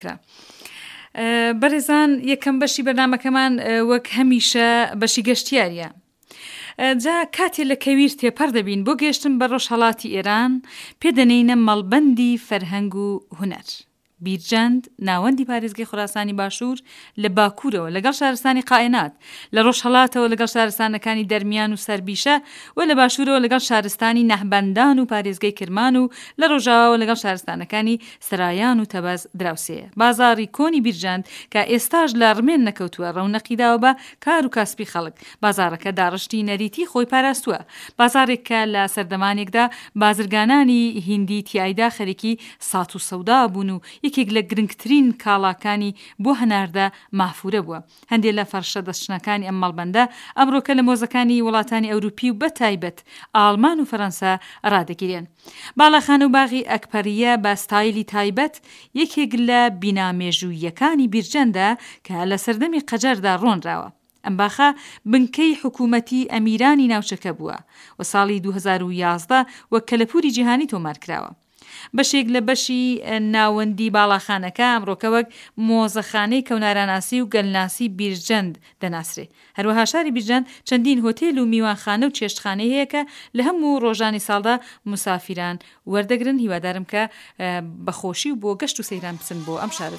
کرا. بەڕێزان یەکەم بەشی بەرنامەکەمان وەک هەمیشە بەشی گەشتیاریە. جا کاتێ لە کەویر تێپەڕ دەبین بۆ گەێشتن بە ڕۆژهەڵاتی ئێران پێ دەنێینە مەڵبەندی فەرهەنگ و هونەر. بیرجەند، ناوەندی پارێزگەی خوراسانی باشوور لە باکوورەوە لەگەڵ شارستانی قائێنات، لە ڕۆژهەڵاتەوە لەگەڵ شارستانەکانی دەرمیان و سەربیشە و لە باشوورەوە لەگەڵ شارستانی نەهبەندان و پارێزگەی کرمان و لە ڕۆژاواوە لەگەڵ شارستانەکانی سەرایان و تەبەز دراوسێیە. بازاڕی کۆنی بیرجەند کە ئێستاش لە ڕمێن نەکەوتووە ڕەونەقی داوە بە کار و کاسپی خەڵک. بازاڕەکە داڕشتی نەریتی خۆی پاراستووە. بازاڕێک کە لە سەردەمانێکدا بازرگانانی هیندی تیایدا خەریکی سات و سەودا بوون و یەکێک لە گرنگترین کاڵاکانی بۆ هەناردە مافوورە بووە. هەندێ لە فەرشە دەستچنەکانی ئەم مەڵبەندە ئەمڕۆکە لە مۆزەکانی وڵاتانی ئەوروپی و بە تایبەت ئاڵمان و فەرەنسا ڕادەگیرێن. باڵاخانە و باغی ئەکپەرییە بە ستایلی تایبەت یەکێک لە بینا مێژووییەکانی بیرجەندە کە لە سەردەمی قەجەردا ڕۆنراوە. ئەم باخە بنکەی حکوومەتی ئەمیرانی ناوچەکە بووە و ساڵی 2011 وەک کەلەپووری جیهانی تۆمار کراوە. بەشێک لە بەشی ناوەندی باڵاخانەکە ئەمڕۆکە وەک مۆزەخانەی کەوناراناسی و گەلناسی بیرجەند دەناسرێ. هەروەها شاری بیرجەند چەندین هۆتێل و میوانخانە و چێشتخانەی هەیە کە لە هەموو ڕۆژانی ساڵدا موسافیران وەردەگرن. هیوادارم کە بە خۆشی و بۆ گەشت و سەیران بچن بۆ ئەم شارە.